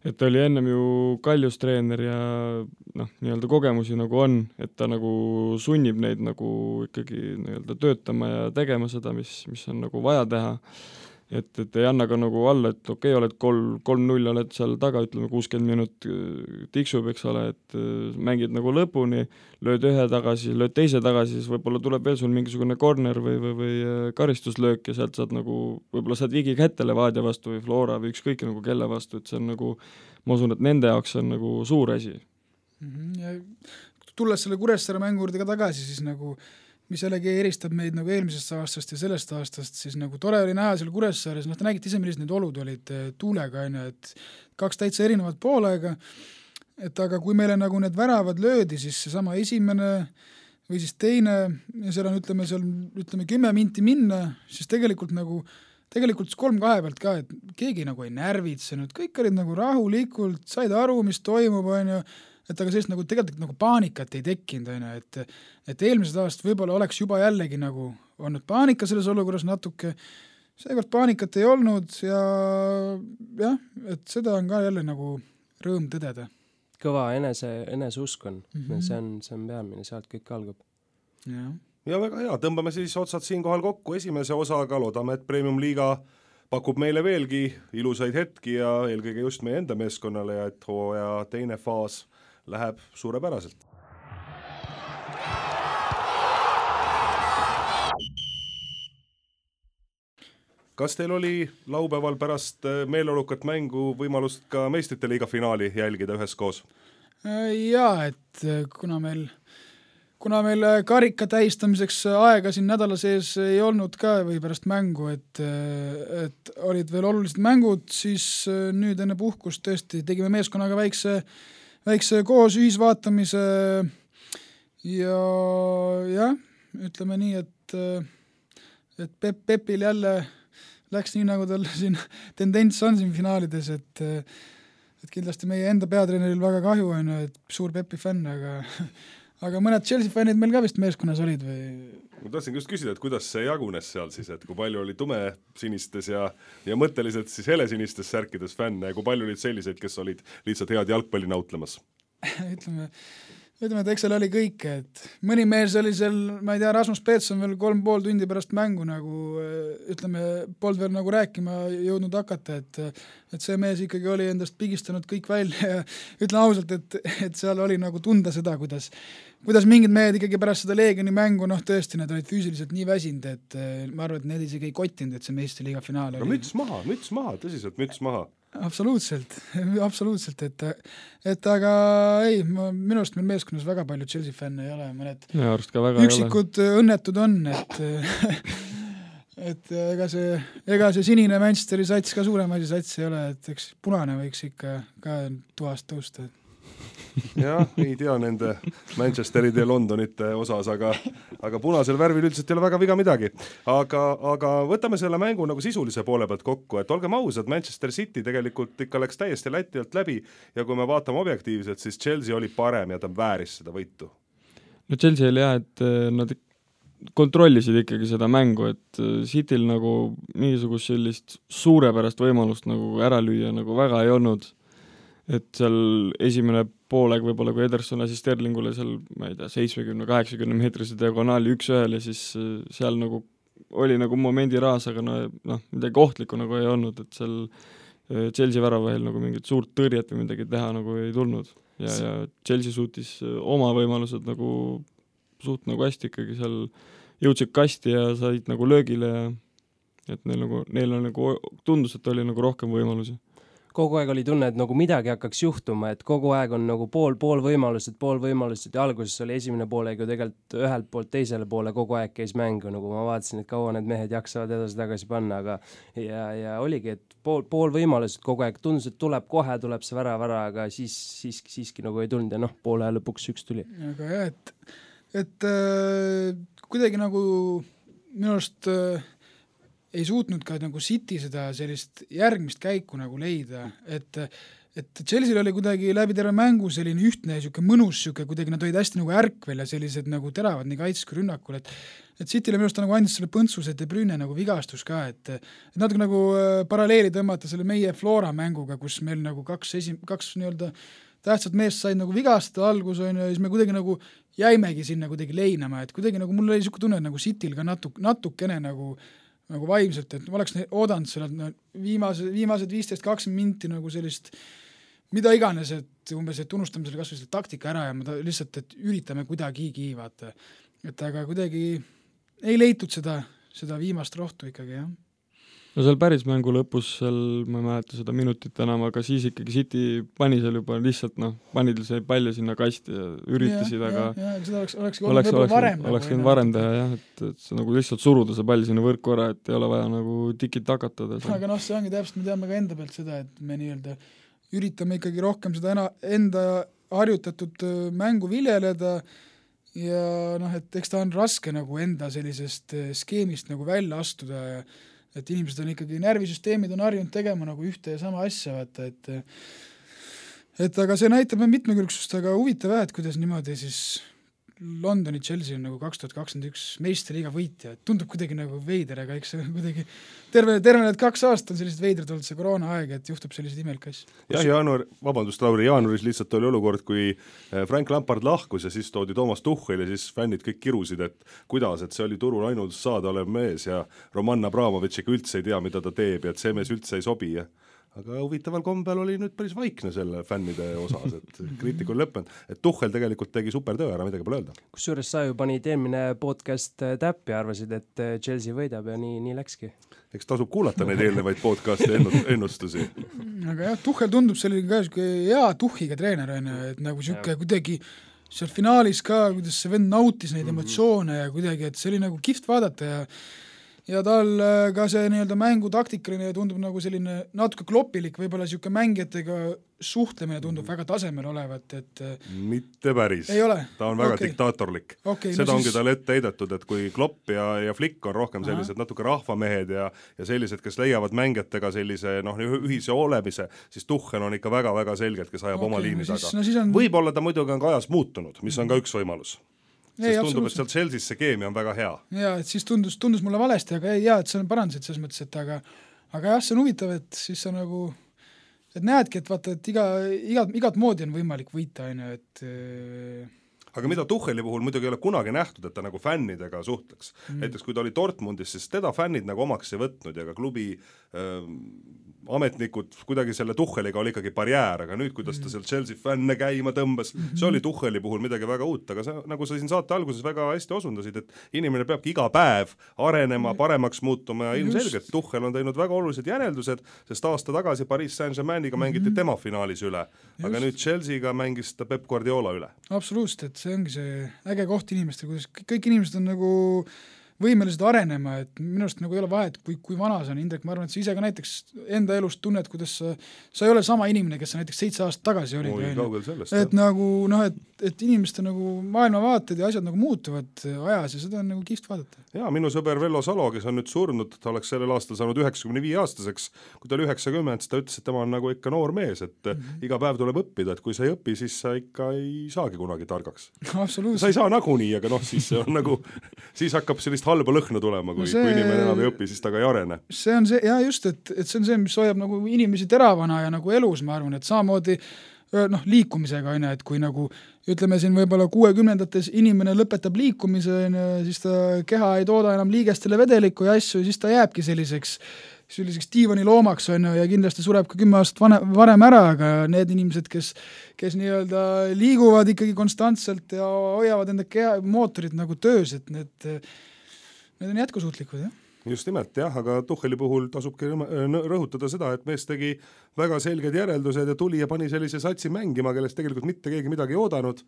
et oli ennem ju Kaljus treener ja noh, nii-öelda kogemusi nagu on, et ta nagu sunnib neid nagu ikkagi nii-öelda töötama ja tegema seda, mis, mis on nagu vaja teha. Et, et ei anna ka nagu alla, et okei okay,, oled kolm, kolm null, oled seal taga, ütleme kuuskümmend minut tiksub, eks ole, et mängid nagu lõpuni, lööd ühe tagasi, lööd teise tagasi, siis võib-olla tuleb veel sul mingisugune corner või, või, või karistuslöök ja sealt saad nagu, võib-olla saad vigi kätte Levadia vastu või Flora või ükskõik nagu kelle vastu, et see on nagu, ma usun, et nende jaoks on nagu suur asi. Ja tulles selle Kuressaare mängu juurde ka tagasi, siis nagu mis jällegi eristab meid nagu eelmisest aastast ja sellest aastast, siis nagu tore oli näha seal Kuressaares, noh te nägite ise, millised need olud olid tuulega, on ju, et kaks täitsa erinevat poolega, et aga kui meile nagu need väravad löödi, siis seesama esimene või siis teine ja seal on, ütleme, seal, ütleme kümme minti minna, siis tegelikult nagu, tegelikult kolm kahe pealt ka, et keegi nagu ei närvitsenud, kõik olid nagu rahulikult, said aru, mis toimub, on ju, et aga sellist nagu tegelikult nagu paanikat ei tekkinud, on ju, et, et eelmised aastad võib-olla oleks juba jällegi nagu olnud paanika selles olukorras natuke, seekord paanikat ei olnud ja jah, et seda on ka jälle nagu rõõm tõdeda. kõva enese, eneseusk on mm. Mhm. -hmm. see on, see on peamine, sealt kõik algab. jah. ja väga hea, tõmbame siis otsad siinkohal kokku esimese osaga, loodame, et Premium-liiga pakub meile veelgi ilusaid hetki ja eelkõige just meie enda meeskonnale ja et hooaja teine faas läheb suurepäraselt. Kas teil oli laupäeval pärast meeleolukat mängu võimalust ka meistrite liiga finaali jälgida üheskoos? Jaa, et kuna meil, kuna meil karika tähistamiseks aega siin nädala sees ei olnud ka või pärast mängu, et, et olid veel olulised mängud, siis nüüd enne puhkust tõesti tegime meeskonnaga väikse, väikse koos ühisvaatamise ja jah, ütleme nii, et, et Pep, Pepil jälle läks nii, nagu tal siin tendents on siin finaalides, et, et kindlasti meie enda peatreeneril väga kahju on, et suur Pepi fänn, aga, aga mõned Chelsea fännid meil ka vist meeskonnas olid või? Ma tahtsin just küsida, et kuidas see jagunes seal siis, et kui palju oli tume sinistes ja, ja mõtteliselt siis helesinistes särkides fänne ja kui palju olid selliseid, kes olid lihtsalt head jalgpalli nautlemas? ütleme, ütleme, et eks seal oli kõike, et mõni mees oli seal, ma ei tea, Rasmus Peetson veel kolm pool tundi pärast mängu nagu, ütleme, polnud veel nagu rääkima jõudnud hakata, et, et see mees ikkagi oli endast pigistanud kõik välja ja ütlen ausalt, et, et seal oli nagu tunda seda, kuidas, kuidas mingid mehed ikkagi pärast seda Leegioni mängu, noh tõesti, nad olid füüsiliselt nii väsinud, et ma arvan, et need isegi ei kottinud, et see meistriliiga finaal oli. No müts maha, müts maha, tõsiselt müts maha. Absoluutselt, absoluutselt, et, et aga ei, ma, minu arust meil meeskonnas väga palju Chelsea fänne ei ole, mõned üksikud õnnetud on, et et ega see, ega see sinine Manchesteri sats ka suurem asi sats ei ole, et eks punane võiks ikka ka tuhast tõusta. jah, ei tea nende Manchesteride ja Londonite osas, aga, aga punasel värvil üldiselt ei ole väga viga midagi. Aga, aga võtame selle mängu nagu sisulise poole pealt kokku, et olgem ausad, Manchester City tegelikult ikka läks täiesti Läti alt läbi ja kui me vaatame objektiivselt, siis Chelsea oli parem ja ta vääris seda võitu. No Chelsea oli jah, et nad kontrollisid ikkagi seda mängu, et Cityl nagu mingisugust sellist suurepärast võimalust nagu ära lüüa nagu väga ei olnud. Et seal esimene poolega võib-olla, kui Ederson lasi Sterlingule seal, ma ei tea, seitsmekümne kaheksakümne meetrise diagonaali üks ühel ja siis seal nagu oli nagu momendi raas, aga no, noh, midagi ohtlikku nagu ei olnud, et seal Chelsea väravahel nagu mingit suurt tõrjet või midagi teha nagu ei tulnud. Ja, ja Chelsea suutis oma võimalused nagu suht nagu hästi ikkagi seal jõudsid kasti ja said nagu löögile ja et neil nagu, neil on nagu tundus, et oli nagu rohkem võimalusi. Kogu aeg oli tunne, et nagu midagi hakkaks juhtuma, et kogu aeg on nagu pool, pool võimalused, pool võimalused ja alguses oli esimene poolega tegelikult ühelt poolt teisele poole kogu aeg käis mängu, nagu ma vaatasin, et kaua need mehed jaksavad edasi tagasi panna, aga ja, ja oligi, et pool, pool võimalused kogu aeg tundus, et tuleb kohe, tuleb see vära vära, aga siis, siis, siiski nagu ei tulnud ja noh, poole lõpuks üks tuli. Aga jah, et, et äh, kuidagi nagu minu arust äh, ei suutnud ka nagu City seda sellist järgmist käiku nagu leida, et, et Chelsea oli kuidagi läbi terve mängu selline ühtne ja mõnus, süke, kuidagi nad olid hästi nagu ärkvel ja sellised nagu teravad nii kaitses kui rünnakul, et et City'le minu arust nagu andis selle põntsus, et De Bruyne nagu vigastus ka, et, et natuke nagu paralleeli tõmmata selle meie Flora mänguga, kus meil nagu kaks, esim, kaks nii-öelda tähtsad meest said nagu vigastada algus on ja siis me kuidagi nagu jäimegi sinna kuidagi leinama, et kuidagi nagu mul oli niisugune tunne, et nagu City'l ka natuk, natukene nagu nagu vaimselt, et ma oleks oodanud sellelt no, viimase, viimased viisteist kakskümmend minti nagu sellist, mida iganes, et umbes, et unustame selle kasvõi selle taktika ära ja ma ta, lihtsalt, et üritame kuidagigi, vaata. Et aga kuidagi ei leitud seda, seda viimast rohtu ikkagi, jah. No seal päris mängu lõpus, seal ma ei mäleta seda minutit enam, aga siis ikkagi City pani seal juba lihtsalt, noh, panid see palju sinna kasti ja üritasid, ja, aga ja, ja, seda oleks, oleks, oleks, oleks, varem, oleks võinud varem teha, jah, et, et see nagu lihtsalt suruda see pall sinna võrku ära, et ei ole vaja nagu tikit hakatada. Aga noh, see ongi täpselt, me teame ka enda pealt seda, et me nii-öelda üritame ikkagi rohkem seda ena, enda harjutatud mängu viljeleda ja noh, et eks ta on raske nagu enda sellisest skeemist nagu välja astuda ja et inimesed on ikkagi, närvisüsteemid on harjunud tegema nagu ühte ja sama asja, vaata, et et aga see näitab mitmekülgsust, aga huvitav, et kuidas niimoodi siis Londoni Chelsea on nagu kaks tuhat kakskümmend üks meistriliiga võitja, et tundub kuidagi nagu veider, aga eks see kuidagi terve, terve need kaks aastat on sellised veidrad olnud see koroona aeg, et juhtub sellised imelikke asju. jah, jaanuar, vabandust, Lauri, jaanuaris lihtsalt oli olukord, kui Frank Lampard lahkus ja siis toodi Toomas Tuchel ja siis fännid kõik kirusid, et kuidas, et see oli turul ainult saada olev mees ja Roman Abramovitšiga üldse ei tea, mida ta teeb ja et see mees üldse ei sobi ja aga huvitaval kombel oli nüüd päris vaikne selle fännide osas, et kriitika on lõppenud, et Tuchel tegelikult tegi super töö ära, midagi pole öelda. Kusjuures sa ju panid eelmine podcast täppi ja arvasid, et Chelsea võidab ja nii, nii läkski. Eks tasub kuulata neid eelnevaid podcasti ennustusi. Aga jah, Tuchel tundub selline ka hea tuhhiga treener, et nagu siuke kuidagi seal finaalis ka, kuidas see vend nautis neid emotsioone ja kuidagi, et see oli nagu kihvt vaadata ja ja tal ka see nii-öelda mängutaktikaline tundub nagu selline natuke kloppilik, võib-olla siuke mängijatega suhtlemine tundub väga tasemel olevat, et mitte päris. Ei ole? Ta on väga okay. diktaatorlik. Okay, seda no ongi siis... tal ette heidetud, et kui Klopp ja, ja Flick on rohkem sellised Aha. natuke rahvamehed ja, ja sellised, kes leiavad mängijatega sellise noh, ühise olemise, siis Tuchel on ikka väga-väga selgelt, kes ajab okay, oma liini no taga. No on... võib-olla ta muidugi on ka ajas muutunud, mis on ka üks võimalus. Sest ei, tundub, et sealt Chelsea's see keemia on väga hea. Jaa, et siis tundus, tundus mulle valesti, aga ei, jaa, et see on parandasid selles mõttes, et aga, aga jah, see on huvitav, et siis sa nagu, et näedki, et vaata, et iga, iga, igat moodi on võimalik võita, aine, et aga mida Tucheli puhul muidugi ei ole kunagi nähtud, et ta nagu fännidega suhtleks. Mm. Näiteks kui ta oli Dortmundis, siis teda fännid nagu omaks ei võtnud ja ka klubi äh, ametnikud kuidagi selle Tucheliga oli ikkagi barjäär, aga nüüd, kuidas ta seal Chelsea fänne käima tõmbas, see oli Tucheli puhul midagi väga uut, aga see, nagu sa siin saate alguses väga hästi osundasid, et inimene peabki iga päev arenema, paremaks muutuma ja ilmselgelt Tuchel on teinud väga olulised järeldused, sest aasta tagasi Paris Saint-Germainiga mängiti mm-hmm. tema finaalis üle, aga Just. nüüd Chelseaga mängis ta Pep Guardiola üle. Absoluutselt, et see ongi see äge koht inimestel, kuidas kõik inimesed on nagu võimelised arenema, et minu arust nagu ei ole vahet, kui, kui vana see on, Indrek, ma arvan, et sa ise ka näiteks enda elust tunned, kuidas sa, sa ei ole sama inimene, kes sa näiteks seitse aastat tagasi olid. Oi, kaugel sellest. Et jah. nagu, noh, et, et inimeste nagu maailmavaated ja asjad nagu muutuvad ajas ja seda on nagu kihvt vaadata. Jaa, minu sõber Vello Salo, kes on nüüd surnud, ta oleks sellel aastal saanud üheksakümne viie aastaseks, kui ta oli üheksakümmend, siis ta ütles, et tema on nagu ikka noor mees, et mm-hmm. iga päev tuleb õppida, et kui sa ei õpi, siis sa ikka ei saagi kunagi targaks. Sa ei saa nagunii, aga noh, siis see on nagu, siis hakkab sellist halba lõhna tulema, kui, no see, kui inimene enam ei õpi, siis ta ka ei arene. See on see, jaa just, et, et see on see, mis hoiab nagu inimesi teravana ja nagu elus, ma arvan, et samamoodi noh, liikumisega, et kui nagu ütleme siin võib-olla kuuekümnendates inimene lõpetab liikumise, siis ta keha ei tooda enam liigestele vedelikku ja asju, siis ta jääbki selliseks, selliseks diivani loomaks on ja kindlasti sureb ka kümme aastat vane, varem ära, aga need inimesed, kes, kes nii-öelda liiguvad ikkagi konstantselt ja hoiavad enda keha, mootorid nagu töös, et need, need on jätkusuutlikud, jah. Just nimelt, jah, aga Tucheli puhul tasubki rõhutada seda, et mees tegi väga selged järeldused ja tuli ja pani sellise satsi mängima, kellest tegelikult mitte keegi midagi ei oodanud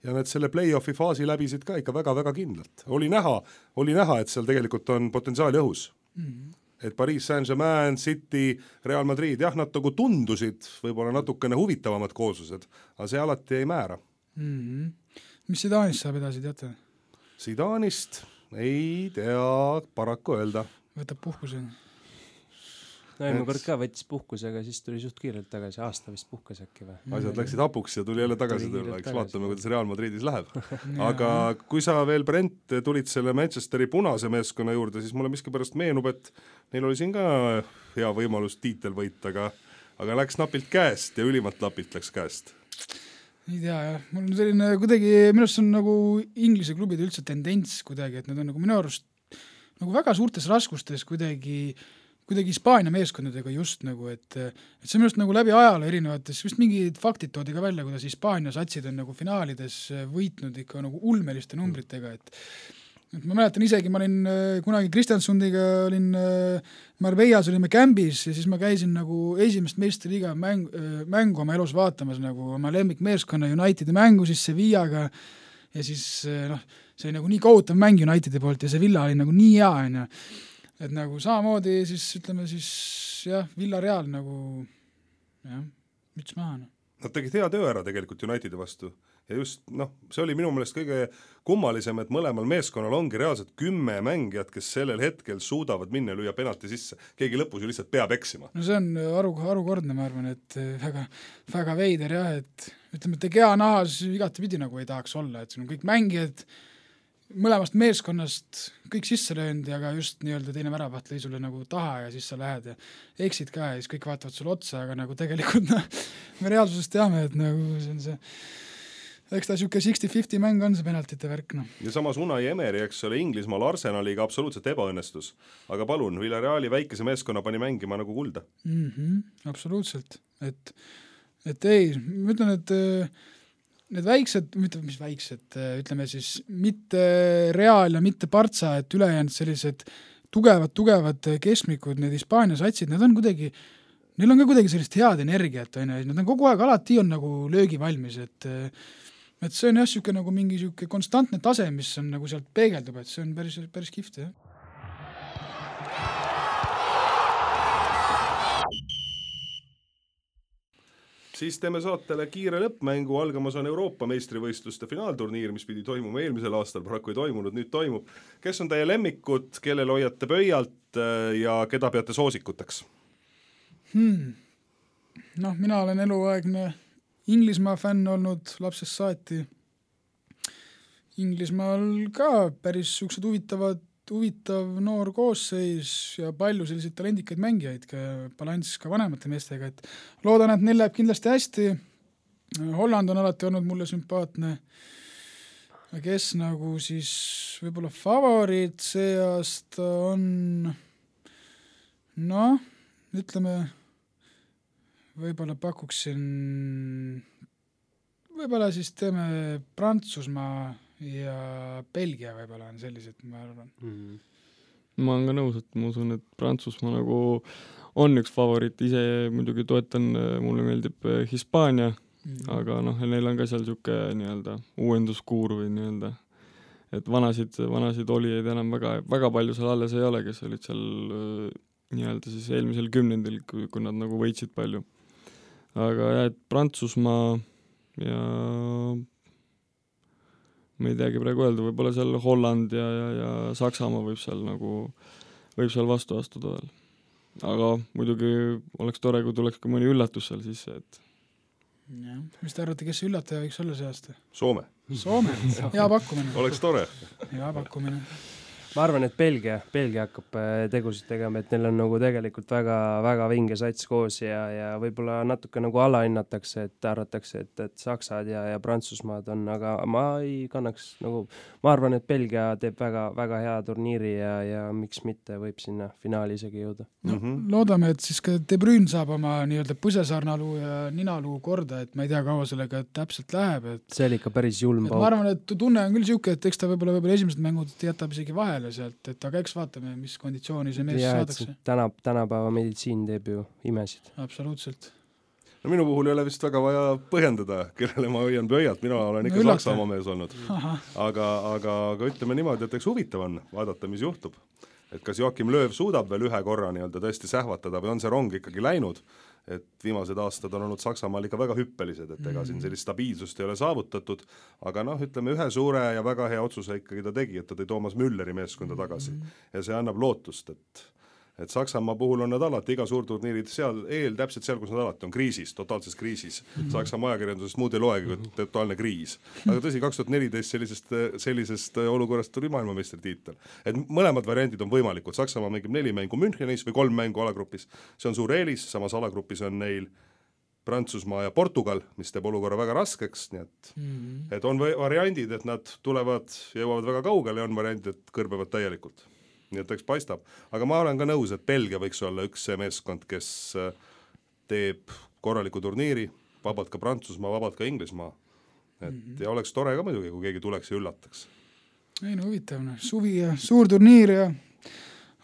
ja need selle play-offi faasi läbisid ka ikka väga-väga kindlalt. Oli näha, oli näha, et seal tegelikult on potentsiaali õhus. Mm-hmm. Et Paris Saint-Germain, City, Real Madrid, jah, nad nagu tundusid võib-olla natukene huvitavamad kooslused, aga see alati ei määra. Mm-hmm. Mis Zidanist saab edasi, teate? Zidanist... ei tea paraku öelda. Võtab puhkuse. No eelmine kord ka võttis puhkusega, siis tuli suht kiirelt tagasi, aasta vist puhkas äkki või? Asjad läksid hapuks ja tuli jälle tagasi tuli tulla, eks vaatame, kuidas Real Madridis läheb. Aga kui sa veel, Brent, tulid selle Manchesteri punase meeskonna juurde, siis mulle miskipärast meenub, et neil oli siin ka hea võimalus tiitel võita, aga, aga läks napilt käest ja ülimalt napilt läks käest. Ei tea, jah. Mul on selline kuidagi, minu arust on nagu Inglise klubid üldse tendents kuidagi, et need on nagu minu arust nagu väga suurtes raskustes kuidagi, kuidagi Hispaania meeskondadega just nagu, et, et see minu arust nagu läbi ajale erinevates, vist mingid faktid toodi ka välja, kuidas Hispaania satsid on nagu finaalides võitnud ikka nagu ulmeliste numbritega, et et ma mäletan isegi, ma olin kunagi Kristjansundiga, olin Marbellas, olime kämbis ja siis ma käisin nagu esimest meistriliiga mäng, mängu oma elus vaatamas nagu oma lemmikmeeskonna Unitedi mängu siis Sevillaga ja siis noh, see oli nagu nii kohutav mäng Unitedi poolt ja see Villa oli nagu nii hea, on ju. Et nagu samamoodi siis ütleme siis jah, Villareal nagu jah, müts maha. Nad tegid hea töö ära tegelikult Unitedi vastu. ja just noh, see oli minu meelest kõige kummalisem, et mõlemal meeskonnal ongi reaalselt kümme mängijat, kes sellel hetkel suudavad minna ja lüüa penalti sisse. Keegi lõpus ju lihtsalt peab eksima. No see on aru, arukordne, ma arvan, et väga, väga veider jah, et ütleme, et Gea nahas igatepidi nagu ei tahaks olla, et siin on kõik mängijad mõlemast meeskonnast kõik sisse löönud, aga just nii-öelda teine väravaht lõi sulle nagu taha ja siis sa lähed ja eksid ka ja siis kõik vaatavad sulle otsa, aga nagu tegelikult no, me reaalsusest teame, et nagu see on see eks ta siuke sixty fifty mäng on see penaltite värk. No. Ja samas Unai Emery, eks ole, Inglismaal Arsenaliga absoluutselt ebaõnnestus. Aga palun, Villareali väikese meeskonna pani mängima nagu kulda. Mm-hmm, absoluutselt. Et, et ei, ma ütlen, et need väiksed, mitte mis väiksed, ütleme siis mitte Real ja mitte Partsa, et ülejäänud sellised tugevad, tugevad keskmikud, need Hispaania satsid, need on kuidagi, neil on ka kuidagi sellist head energiat, nad on kogu aeg alati on nagu löögi valmis, et et see on jah siuke nagu mingi siuke konstantne tase, mis on nagu sealt peegeldub, et see on päris, päris kihvt, jah. Siis teeme saatele kiire lõppmängu, algamas on Euroopa meistrivõistluste finaalturniir, mis pidi toimuma eelmisel aastal, paraku ei toimunud, nüüd toimub. Kes on teie lemmikud, kellel hoiate pöialt ja keda peate soosikuteks? Hmm. Noh, mina olen eluaegne Inglismaa fänn olnud lapsest saati. Inglismaal ka päris suksed huvitavad, huvitav noor koosseis ja palju selliseid talendikaid mängijaid, balanss ka vanemate meestega, et loodan, et neil läheb kindlasti hästi. Holland on alati olnud mulle sümpaatne. Kes nagu siis võib-olla favoriit see aasta on, noh, ütleme, võib-olla pakuksin, võib-olla siis teeme Prantsusmaa ja Belgia võib-olla on sellised, ma arvan. Mm-hmm. Ma olen ka nõus, et ma usun, et Prantsusmaa nagu on üks favoriit, ise muidugi toetan, mulle meeldib Hispaania, mm-hmm. aga noh, neil on ka seal siuke nii-öelda uuenduskuur või nii-öelda, et vanasid, vanasid olijaid enam väga, väga palju seal alles ei ole, kes olid seal nii-öelda siis eelmisel kümnendil, kui, kui nad nagu võitsid palju. Aga jah, et Prantsusmaa ja ma ei teagi praegu öelda, võib-olla seal Holland ja, ja, ja Saksamaa võib seal nagu, võib seal vastu astuda veel. Aga muidugi oleks tore, kui tuleks ka mõni üllatus seal sisse, et ja, mis te arvate, kes üllataja võiks olla see aasta? Soome. Soome, hea pakkumine. Oleks tore. Hea pakkumine. Ma arvan, et Belgia, Belgia hakkab tegusid tegema, et neil on nagu tegelikult väga, väga vinge sats koos ja, ja võib-olla natuke nagu alahinnatakse, et arvatakse, et, et Saksad ja, ja Prantsusmaad on, aga ma ei kannaks nagu, ma arvan, et Belgia teeb väga, väga hea turniiri ja, ja miks mitte võib sinna finaali isegi jõuda. No, mm-hmm. Loodame, et siis ka De Bruyne saab oma nii-öelda põsesarnaluu ja ninaluu korda, et ma ei tea, kaua sellega täpselt läheb. Et, see oli ikka päris julm pauk. Ma arvan, et tunne on küll siuke, et eks ta võib-olla, võib-olla esimesed mängud jätab isegi vahele sealt, et aga eks vaatame, mis konditsiooni see mees ja, saadakse. Täna, tänapäeva meditsiin teeb ju imesid. Absoluutselt. No minu puhul ei ole vist väga vaja põhjendada, kellele ma hoian pöialt, mina olen ikka no, Saksamaa mees olnud. Aga, aga, aga ütleme niimoodi, et eks huvitav on vaadata, mis juhtub. Et kas Joachim Lööv suudab veel ühe korra nii-öelda tõesti sähvatada või on see rong ikkagi läinud, et viimased aastad on olnud Saksamaal ikka väga hüppelised, et ega siin sellist stabiilsust ei ole saavutatud, aga noh, ütleme ühe suure ja väga hea otsuse ikkagi ta tegi, et ta tõi Toomas Mülleri meeskonda tagasi ja see annab lootust, et et Saksamaa puhul on nad alati iga suurturniirid seal eel, täpselt seal, kus nad alati on kriisis, totaalses kriisis. Saksamaa ajakirjandusest muud ei loegi, kui totaalne kriis. Aga tõsi, kaks tuhat neliteist sellisest, sellisest olukorrast tuli maailmameistritiitel. Et mõlemad variandid on võimalikud. Saksamaa mängib neli mängu Münchenis või kolm mängu alagrupis. See on suur eelis, samas alagrupis on neil Prantsusmaa ja Portugal, mis teeb olukorra väga raskeks, nii et, mm-hmm. et on variandid, et nad tulevad, jõuavad väga kaugele ja on variandid, et kõrbevad täielikult. Nii et eks paistab. Aga ma olen ka nõus, et Belgia võiks olla üks see meeskond, kes teeb korraliku turniiri, vabalt ka Prantsusmaa, vabalt ka Inglismaa. Et mm-hmm. ja oleks tore ka muidugi, kui keegi tuleks ja üllataks. Ei no huvitav, suvi ja suur turniir ja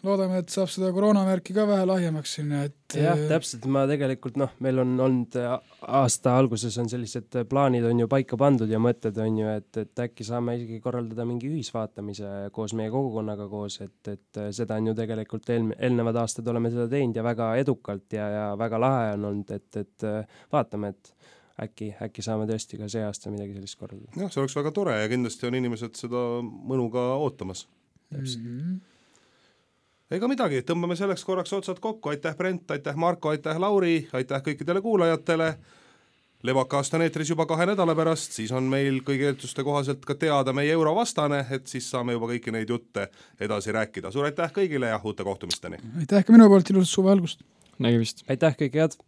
loodame, et saab seda koroonamärki ka vähe lahjemaks sinna, et jah, täpselt, ma tegelikult, noh, meil on olnud aasta alguses on sellised plaanid on ju paika pandud ja mõtted on ju, et, et äkki saame isegi korraldada mingi ühisvaatamise koos meie kogukonnaga koos, et, et seda on ju tegelikult eel, eelnevad aastad oleme seda teinud ja väga edukalt ja, ja väga lahe on olnud, et, et vaatame, et äkki, äkki saame tõesti ka see aasta midagi sellist korraldada. jah, see oleks väga tore ja kindlasti on inimesed seda mõnuga ootamas. Täpselt. Mhm. Ega midagi, tõmbame selleks korraks otsad kokku, aitäh Brent, aitäh Marko, aitäh Lauri, aitäh kõikidele kuulajatele. Levaka aasta on eetris juba kahe nädala pärast, siis on meil kõigi eelduste kohaselt ka teada meie eurovastane, et siis saame juba kõiki neid jutte edasi rääkida. Suur aitäh kõigile ja uute kohtumisteni! Aitäh ka minu poolt, ilusat suve algust! Nägemist! Aitäh, kõike head!